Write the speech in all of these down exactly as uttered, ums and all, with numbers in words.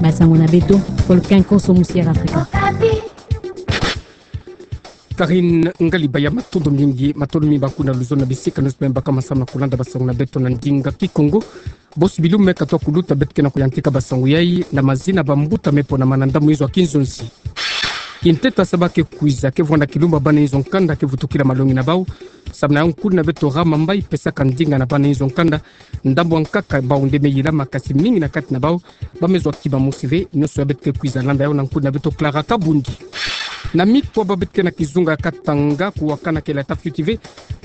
Basango na beto, Volcan Konso Musière Afrika. Karine Ngaliba, ya matondo mingi, matondo mingi baku na luzolo na bisika nyonso bima baka masamu na kulanda basango na beto na ndinga Kikongo. Bosi bilumbu me katoa kuluta, beto ke na kuyantika basango yai na mazina bambuta me ponama na ndambu izo ya kinzonzi. Kinteta saba ke kwiza ke vwanda kilumbu bana nzo nkanda ke vutukila malongi na bau. Samu na yau nkuna beto Rama Mbayi pesaka ndinga na bana nzo nkanda. Ndambu ya nkaka bau nde me yilama, kasi mingi na kati na bau ba me zwa kima mosi ve. Nyonso ya beto ke kwiza landa yau na nkuna beto Clara Kabundi. Na mikwa ba beto ke na kizunga ya Katanga, kuwakana ke lata fioti ve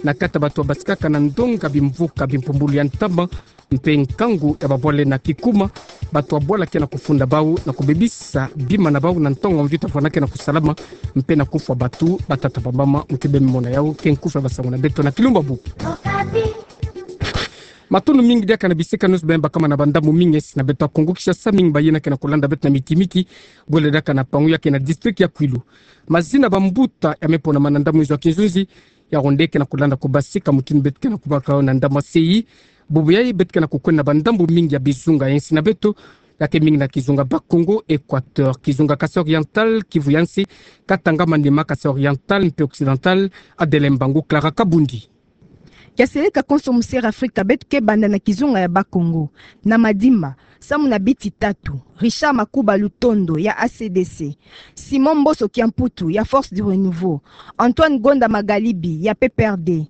na kati ya bato ya basikaka na ndonga bimvuka bimpumbulu ya ntama mpe nkangu ya babwala na kikuma. Bato ya bwala ke na kufunda bau na kubebisa bima na bau na ntangu mvita vwanda ke na kusalama, mpe na kufwa bato batata bamama. Mu ke bemona yau ke nkufi ya basango na beto na kilumbu ya bubu. Matondo mingi diaka na bisika nyonso bima bakama na bandambu mingi ya insi na beto ya Kongo Kinshasa. Mingi bayina ke na kulanda beto na miti miti, bwele diaka na pangu ya ke na district ya Kwilu. Mazina bambuta ya me ponama na ndambu izo ya kinzonzi, ya ronde ke na kulanda kubasika mutindu beto ke na kubaka yau na ndambu ya sei. Bubu yai beto ke na kukwenda na bandambu mingi ya bizunga ya insi na beto, ya ke mingi na kizunga Bas-Congo, Equateur, kizunga Kasaï Oriental, Kivu ya nsi, Katanga, Maniema, Kasaï Oriental mpe Occidental. Adeline Mbangu, Clara Kabundi. Kiaseleka konso Musière Afrika, beto ke banda na kizunga ya Bas-Congo. Na Madimba, samu na biti tatu: Richard Makuba Lutondo ya A C D C, Simon Mboso Kiamputu ya Force du Renouveau, Antoine Gonda Magalibi ya P P R D.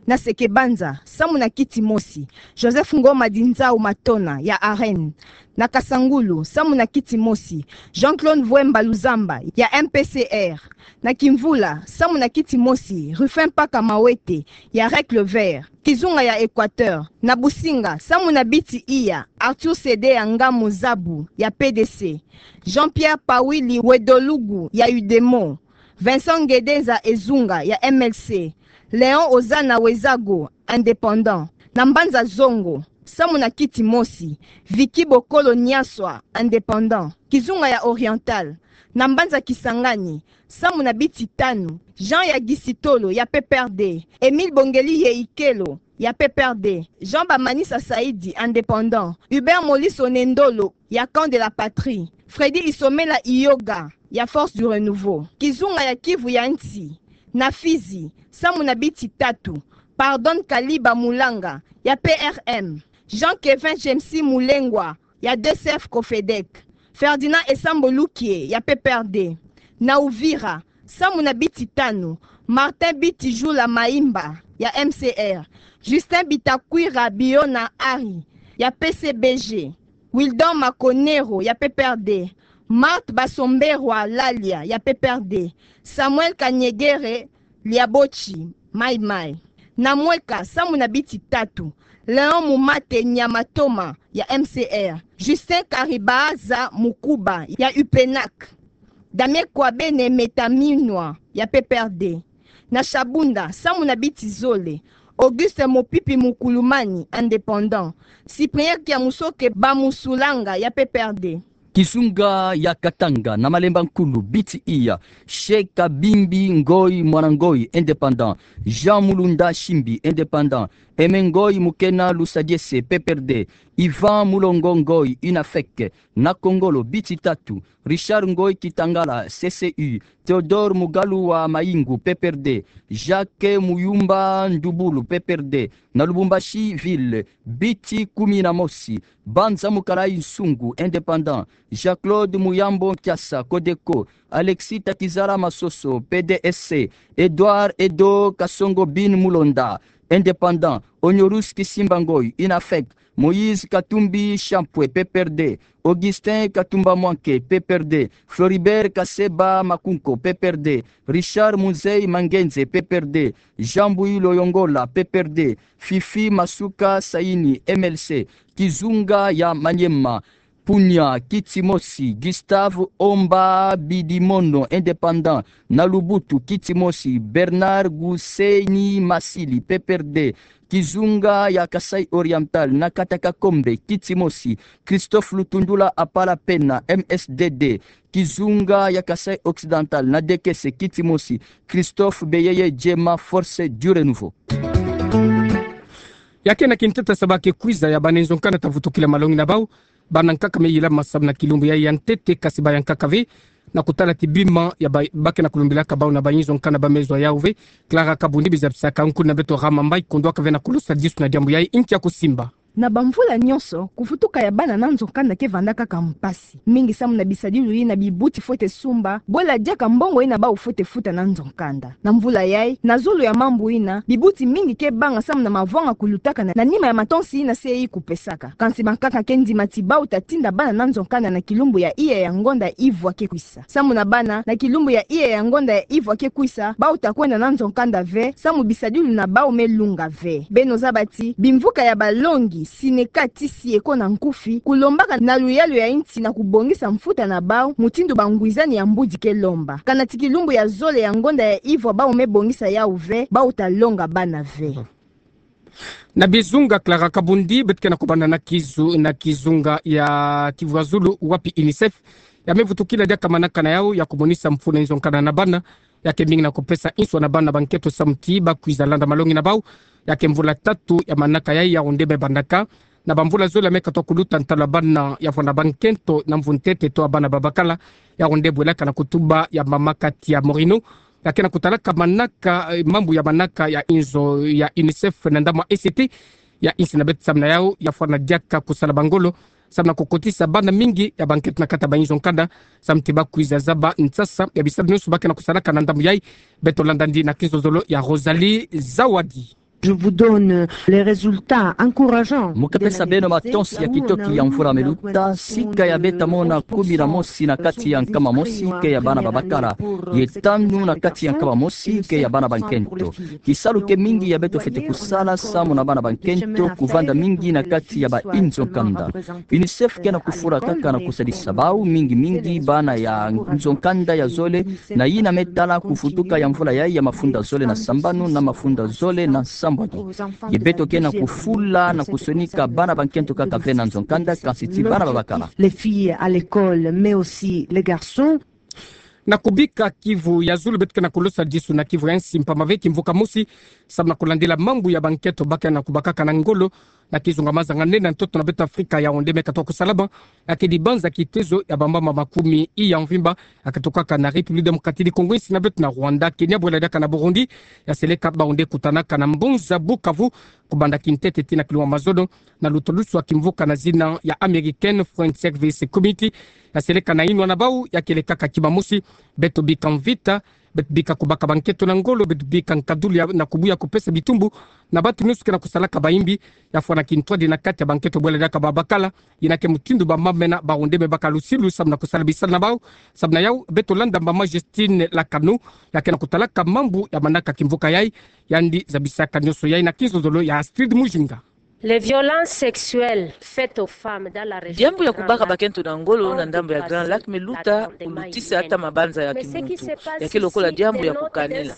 Na Seke-Banza, samu na kiti mosi: Joseph Ngoma Dinzau Matona ya AREN. Na Kasangulu, samu na kiti mosi: Jean-Claude Mvuemba Luzamba ya M P C R. Na Kimvula, samu na kiti mosi: Rufin Mpaka Mawete ya REC Le Vert, kizunga ya Equateur. Na Businga, samu na biti iya: Arthur Sede ya Ngamu Zabu ya P D C, Jean-Pierre Pawili Wedolugu ya UDEMO, Vincent Ngedeza Ezunga ya M L C, Léon Ozana Wezago, indépendant. Na Mbanza Zongo, samu na kiti mosi: Vicky Bokolo Niaswa, indépendant, kizunga ya Oriental. Na Mbanza Kisangani, samu na biti tanu: Jean ya Gisitolo ya P P R D, Émile Bongeli Yeikelo ya P P R D, Jean Bamanisa Saidi, indépendant, Hubert Moliso Nendolo ya Camp de la Patrie, Freddy Isomela Iyoga ya Force du Renouveau. Kizunga ya Kivu ya nsi, na Fizi, samu na biti tatu: Pardon Kaliba Mulanga ya P R M, Jean Kevin James Mulengwa ya D C F Cofedec, Ferdinand Esambo Lukie ya P P R D. Na Uvira, samu na biti tanu: Martin Biti Jula Maimba ya M C R, Justin Bitakwira Biona Ari ya P C B G, Wildon Makonero ya P P R D, Marthe Basomberwa Lalia ya P P R D, Samuel Kanyegere Liabochi, Mai Mai. Na Mweka, samu na biti tatu: Léon Mumate Nyamatoma ya M C R, Justin Karibaaza Mukuba ya U P N A C, Damien Kwabene Metaminwa ya P P R D. Na Shabunda, samu na biti zole: Auguste Mopipi Mukulumani, indépendant, Cyprien Kiamusoke Bamusulanga ya P P R D. Kizunga ya Katanga, na Malemba Nkulu, biti iya: Sheka Bimbi Ngoyi Mwana Ngoyi, indépendant, Jean Mulunda Shimbi, indépendant, Aimé Ngoyi Mukena Lusadiese, P P R D, Ivan Mulongo Ngoyi, UNAFEC. Na Kongolo, biti tatu: Richard Ngoyi Kitangala, C C U, Théodore Mugalu wa Mayingu, P P R D, Jacques Muyumba Ndubulu, P P R D. Na Lubumbashi ville, biti kumi na mosi: Banza Mukalayi Nsungu, indépendant, Jean-Claude Muyambo Nkiasa, Codeco, Alexis Takizala Masoso, P D S C, Edouard Edo Kasongo Bin Mulonda, indépendant, Honorus Kisimba Ngoyi, UNAFEC, Moïse Katumbi Champwe, P P R D, Augustin Katumba Mwanke, P P R D, Floribert Kaseba Makunko, P P R D, Richard Muzei Mangenze, P P R D, Jean Mbuyi Loyongola, P P R D, Fifi Masuka Saini, M L C. Kizunga ya Maniema, Punya, kiti mosi: Gustave Omba Bidimono, indépendant. Na Lubutu, kiti mosi: Bernard Guseni Masili, P P R D. Kizunga ya Kasaï Oriental, na Kataka Kombe, kiti mosi: Christophe Lutundula Apala Pena, M S D D. Kizunga ya Kasaï Occidental, na Dekese, kiti mosi: Christophe Beyeye Djema, Force du Renouveau. Ya ke na kinteta saba ke kwiza ya bana nzo nkanda ta vutukila malongi na bau. Bana nkaka me yilama samu na kilumbu ya, ya ntete, kasi baya nkaka ve na kutala ti bima ya ba, ba ke na kulumbilaka bau na bayinzo nkanda ba me zwa yau ve. Clara Kabundi, bizabisaka nkuna beto Rama Mbaï, kondwaka ve na kulusa disu na diambu yayi, nki ya kusimba. Na bamvula nyonso, kuvutuka ya bana na nzo nkanda ke vanda kaka mpasi. Mingi samu na bisadilu yina bibuti fwete sumba, bwela diaka mbongo yina bau fwete futa na nzo nkanda. Na mvula yayi, na zolo ya mambu yina, bibuti mingi ke banga samu na mavwanga kulutaka na, na nima ya matonsi yina C I I kupesaka. Kansi bankaka ke ndima ti bau ta tinda bana na nzo nkanda na kilumbu ya iya ya ngonda ivwa ke kwisa. Samu na bana, na kilumbu ya iya ya ngonda ya ivwa ke kwisa, bau ta kwenda na nzo nkanda ve, samu bisadilu na bau me lunga ve. Beno zaba ti, bimvuka ya balongi, Syneca, T C E ko na Nkufi, kulombaka na luyalu ya insi na kubongisa mfuta na bau, mutindu bangwizani ya mbudi ke lomba. Kana ti kilumbu ya zole ya ngonda ya ivwa bau me bongisa yau ve, bau ta longa bana ve. Na bizunga, Clara Kabundi, beto ke na kubanda na kizu, na kizunga ya Kivu ya Zulu, wapi UNICEF ya me vutukila diaka manaka na yau ya kumonisa mfunu nzo nkanda na bana, ya ke mingi na kupesa nswa na bana bankento samu ti ba kwiza landa malongi na bau. Ya ke mvula tatu ya manaka yayi, yau nde me bandaka. Na bamvula zole ya me katuka kuluta, ntalu ya bana ya vwanda bankento na mvu ntete to ya bana babakala, yau nde bwelaka na kutuba ya mama Katia Morino, ya ke na kutalaka manaka, eh, mambu ya manaka ya nzo ya UNICEF na ndambu ya E C T ya insi na beto, samu na yau ya vwanda diaka kusala bangolo samu na kukotisa bana mingi ya bankento na kati ya bayinzo nkanda, samu ti ba kwiza zaba nsasa ya bisalu nyonso ba ke na kusalaka na ndambu yayi. Beto landa ndi na kizololo ya Rosalie Zawadi. Je vous donne les résultats encourageants. Mu ke pesa beno matonsi ya kitoki ya mvula me luta. Sika ya beto mona kumi na mosi na kati ya nkama mosi ke ya bana babakala, ye tanu na kati ya nkama mosi ke ya bana bankento. Kisalu ke mingi ya beto fwete kusala samu na bana bankento kuvanda mingi na kati ya bayinzo nkanda. UNICEF ke na kufula kaka na kusadisa bau, mingi mingi bana ya nzo nkanda ya zole, na yina me tala kuvutuka ya mvula yayi ya mafunda zole na sambanu na mafunda zole na nsambwadi. Ye beto ke na kufula na kusonika bana bankento kaka ve na nzo nkanda, kansi ti bana babakala. Les filles à l'école, mais aussi les garçons. Na kubika Kivu ya Zulu, beto ke na kulosa disu na Kivu ya nsi mpamba ve kimvuka mosi, samu na kulandila mambu ya bankento ba ke na kubakaka na ngolo na kizunga mazanga nene na ntoto na beto Afrika, yau nde me katuka kusalama. Ya ke dibanza kitezo ya bamama makumi iya mvimba, ya katukaka na République Démocratique du Congo, insi na beto na Rwanda, Kenya, bwela diaka na Burundi, ya seleka bau nde kutanaka na mbunza Bukavu, kubanda kintete tii na kilumbu ya mazono, na lutulusu ya kimvuka na zina ya American Foreign Service Committee, ya seleka na inwa na bau, ya keleka kaka kima mosi. Beto bika mvita, beto bika kubaka bankento na ngolo, beto bika nkadulu ya na kubuya kupesa bitumbu na bantu nyonso ke na kusalaka bayimbi, ya fwana kintwadi na kati ya bankento bwela diaka babakala. Yina ke mutindu bamama mena bau nde me baka lusilu samu na kusala bisalu na bau. Samu na yau, beto landa mama Justine Lakanu, ya ke na kutalaka mambu ya manaka kimvuka yayi, yandi zabisaka nyonso yayi na kizololo ya Astrid Mujinga. Les violences sexuelles faites aux femmes dans la région du Grand Lac. Diambu ya kubaka bakento na ngolo na ndambu ya Grand Lac me luta, kulutisa ata mabanza ya kimuntu. Ya ke lokola diambu ya kukanila.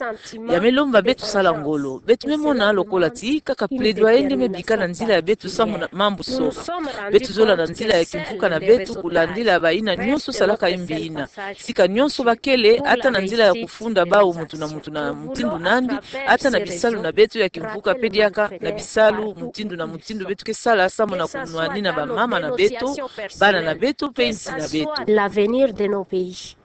Ya me lomba beto sala ngolo. Beto me mona lokola ti kaka plaidoyer nde me bika na nzila ya beto samu na mambu soba. Beto zola na nzila ya kimvuka na beto kulandila bayina nyonso salaka yimbi yina. Sika nyonso bakele, ata na nzila ya kufunda bau muntu na muntu na mutindu nandi, ata na bisalu na beto ya kimvuka pe diaka na bisalu mutindu na mutindu beto ke sala samu na kunwanina bamama na beto, bana na beto, pe insi na beto. L'avenir de nos pays.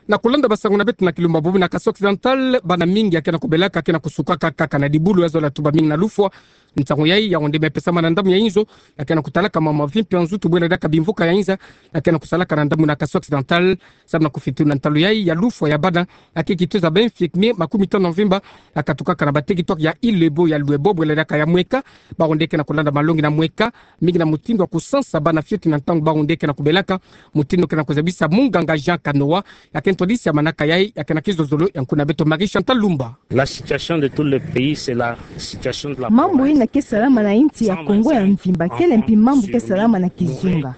Na kulanda basango na beto na kilumbu ya bobi na Kasai Occidental, bana mingi ya ke na kubelaka ke na kusukaka kaka na dibulu, ya zola tuba mingi na lufwa. Nsangu yayi, yau nde me pesama na ndambu ya inzo ya ke na kutalaka mama vimpi ya nzutu bwela diaka bimvuka ya inza, ya ke na kusalaka na ndambu na Kasai Occidental, samu na kufiti na ntalu yayi ya lufwa ya bana, ya ke kitezo ya ba infirmiers makumi tanu na mvimba, ya katukaka na ba territoires ya Ilebo, ya Luebo, bwela diaka ya Mweka, bau nde ke na kulanda malongi na Mweka, mingi na mutindu ya kusansa bana fioti na ntangu bau nde ke na kubelaka, mutindu ke na kuzabisa munganga Jean Kanoa, ya ke ntwadisi ya manaka yayi, ya ke na kizololo ya nkuna beto Marie Chantal Lumba. La situation de tout le pays, c'est la situation de la province. Mambu yina ke salama na insi ya Kongo ya mvimba kele mpi mambu ke salama na kizunga.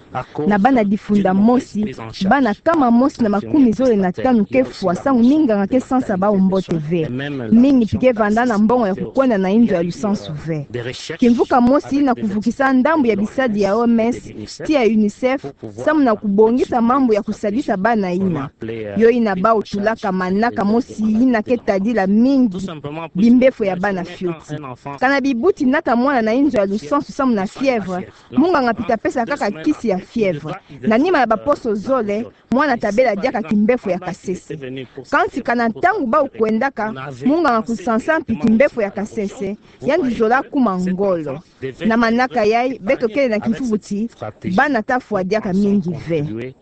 Na bana difunda mosi, bana kama mosi na makumi zole na tanu ke fwa samu minganga ke sansa bau mbote ve. Mingi mpi ke vanda na mbongo ya kukwenda na inzo ya lusansu ve. Kimvuka mosi na kuvukisa ndambu ya bisadi ya O M S tii ya UNICEF, samu na kubongisa mambu ya kusadisa bana yina. Yo ina bau tulaka manaka mosi ina ke tadila mingi bimbefo ya bana fioti. Kana bibuti nata mwana na inzo ya lusansu samu na fièvre, munganga mpita pesa kaka kisi ya fièvre. Na nima ya baposo zole, mwana tabela diaka kimbefo ya kasese. Kansi kana ntangu bau kwendaka, munganga kusansa mpi kimbefo ya kasese, yandi zola kuma ngolo. Na manaka yai, beto kele na kimfubuti, bana tafwa diaka mingi ve.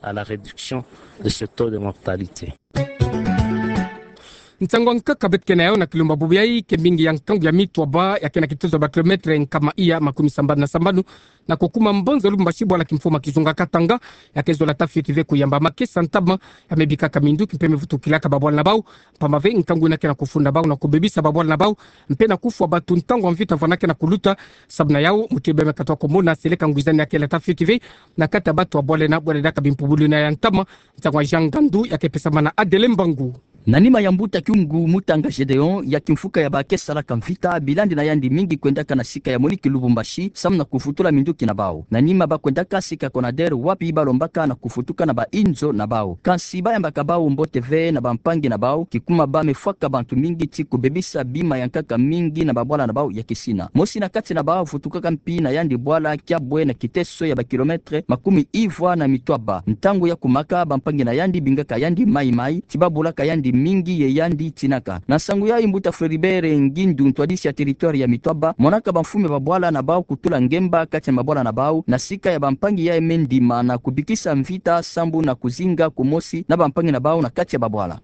Nsangu ya nkaka beto kele na yau na kilumbu bubu yai, ke mbingi ya nkangu ya Mitwaba, ya ke na kitozo ba kilometre nkama iya makumi sambanu na sambanu, na kukuma mbanza Lubumbashi, bwala kimfuma kizunga Katanga, ya ke zola tafioti ve kuyamba makesa ntama ya mebikaka minduki mpe mevutukilaka babwala na bau, mpamba ve nkangu ina ke na kufunda bau na kubebisa babwala na bau, mpe na kufwa bato ntangu ya mvita vwanda ke na kuluta. Sababu na yau, muti beme katwa komona seleka ngwizani ya kele tafioti ve na kati ya bato ya bwala ena, bwala diaka bimpumbulu ina ya ntama. Nsangu ya Jean Ngandu ya ke pesamana na Adele Mbangu. Na nima ya mbuta Kyungu Mutanga Gedeon, ya kimfuka ya ba ke salaka mvita, bilandi na yandi mingi kwendaka na sika ya Monique Lubumbashi, samu na kuvutula minduki na bau. Na nima ba kwendaka sika Conader, wapi ba lombaka na kuvutuka na ba inzo na bau. Kansi ba yambaka bau mbote ve na bampangi na bau, kikuma ba mefwaka bantu mingi ti kubebisa bima ya nkaka mingi na babwala na bau ya kisina. Mosi na kati na bau vutukaka mpi na yandi bwala kiabwe na kiteso ya ba kilometre makumi ivwa na mitwaba. Ntangu ya kumaka, bampangi na yandi bingaka yandi maimai, ti ba bulaka yandi mingi ye yandi tinaka. Na nsangu yai, mbuta Floribert Ngindu, ntwadisi ya territoire ya Mitwaba, monaka bamfumu ya babwala na bau kutula ngemba kati ya mabwala na bau, na sika ya bampangi yai me ndima na kubikisa mvita sambu na kuzinga kumosi na bampangi na bau na kati ya babwala.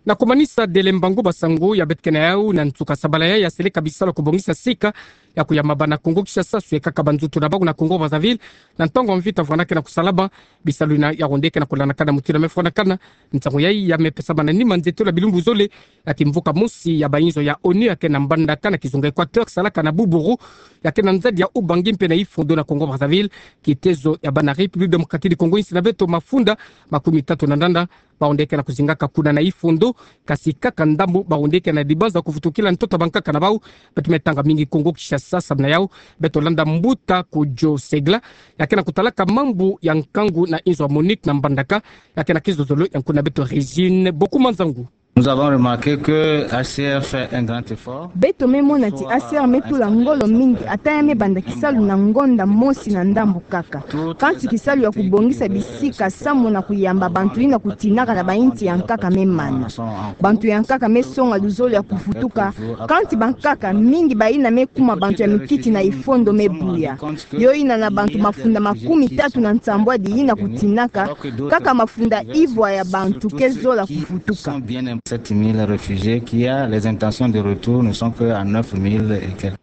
Na kumanisa, Adele Mbangu, ba nsangu ya beto kele na yau na nsuka sabala yai ya seleka bisalu ya kubongisa sika ya kuyamba bana Kongo Kinshasa, swe kaka banzutu na bau na Kongo Brazzaville, na ntangu ya mvita vwanda ke na kusalama. Bisalu ina ya ronde ke na kulandakana mutindu mefwandakana. Nsangu yai ya mepesamana na nima nzietolo ya bilumbu zole ya kimvuka mosi ya ba inzo ya ONU ya ke na Mbandaka na kizunga Equateur, salaka na Boubourou, ya ke na nzadi ya Oubangui mpe na Ifondo na Kongo Brazzaville, kitezo ya bana République Démocratique du Congo, insi na beto mafunda makumi tatu na ndanda. Ba ronde ke na kuzingaka kuna na Ifondo, kasi kaka ndambu ba ronde ke na dibanza kuvutukila ntoto ya bankaka na bau. Beto me tanga mingi Kongo Kinshasa, sababu na yau beto landa mbuta Kojo Segla, ya ke na kutalaka mambu ya nkangu na inzo ya Monique na Mbandaka, ya ke na kizozolo ya nkuna beto Régine Bokuma Nzangu. Nous avons remarqué que H C R fait un grand effort. Beto me mona ti H C R me tula ngolo mingi, ata ya me banda kisalu na ngonda mosi na ndambu kaka. Kansi kisalu ya kubongisa bisika samu na kuyamba bantu ina kutinaka na ba insi ya nkaka me mana. Bantu ya nkaka me songa luzolo ya kuvutuka, kansi bankaka mingi ba ina me kuma bantu ya mikiti na Ifondo me buya. Yo ina na bantu mafunda makumi tatu na nsambwadi ina kutinaka, kaka mafunda ivwa ya bantu ke zola kuvutuka. Sept mille réfugiés qu'il y a, les intentions de retour ne sont que à neuf mille et quelques.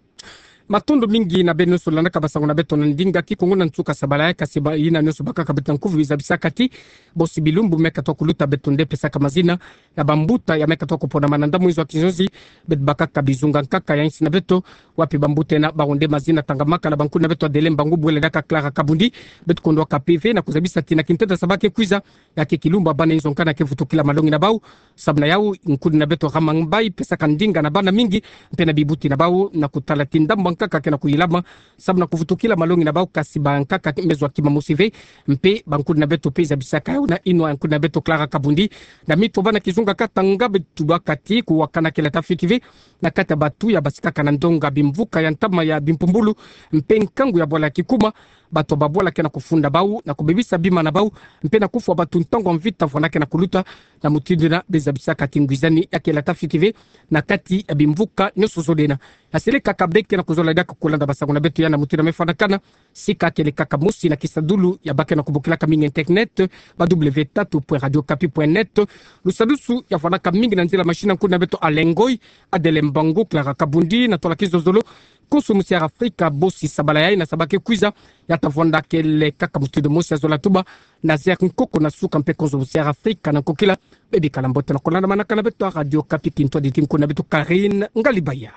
Matondo mingi na beno nyonso landaka ba nsangu na beto na ndinga Kikongo na nsuka sabala yai, kasi ba ina nyonso bakaka beto na nkufi, zabisaka ti bosi bilumbu me katwa kuluta beto nde pesaka mazina ya bambuta ya me katwa kuponama na ndambu inzo ya kizonzi. Beto bakaka bizunga nkaka ya insi na beto, wapi bambuta ena ba ronde mazina tangamaka na bankuni na beto Adele Mbangu, bwela diaka Clara Kabundi. Beto kondwaka mpe ve na kuzabisa ti na kinteta saba ke kwiza, ya ke kilumbu ya bana inzo nkaka na ke vutukila malongi na bau. Sababu na yau, nkuni na beto Ramang Mbaye pesaka ndinga na bana mingi mpe na bibuti na bau na kutala ti ndambu bankaka ke na kuyilama sababu na kuvutukila malongi na bau, kasi bankaka me zwa kima mosi ve. Mpe bankuni na beto mpe zabisaka yau na inwa ya nkuni na beto Clara Kabundi. Na Mitwaba na kizunga Katanga, beto tubaka ti kuwakana kele tafioti ve na kati ya bato ya basikaka na ndonga bimvuka ya ntama ya bimpumbulu mpe nkangu ya bwala ya kikuma. Bato ya babwala ke na kufunda bau na kubebisa bima na bau mpe na kufwa bato ntangu ya mvita vwanda ke na kuluta. Na mutindu ina bezabisaka ti ngwizani ya kele tafioti ve na kati ya bimvuka nyonso zole ena. Ya seleka kaka be ke na kuzola diaka kulanda ba nsangu na beto ya na mutindu mefwandakana. Sika kele kaka mosi na kisadulu ya ba ke na kubokilaka mingi internet, ba w tatu point radio kapi point net. Lusadusu ya vwandaka mingi na nzila machine ya nkuni na beto Alain Ngoy, Adele Mbangu, Clara Kabundi, na tola kizozolo. Konso Musière Afrika bosi sabala yai na saba ke kwiza, ya ta vwanda kele kaka mutindu mosi, ya zola tuba Nazaire Nkoko na suka mpe konso Musière Afrika na nkokila. Bebikala mbote na kulanda manaka na beto ya Radio Kapi, kintwadi ti nkuni na beto Karine Ngalibaya.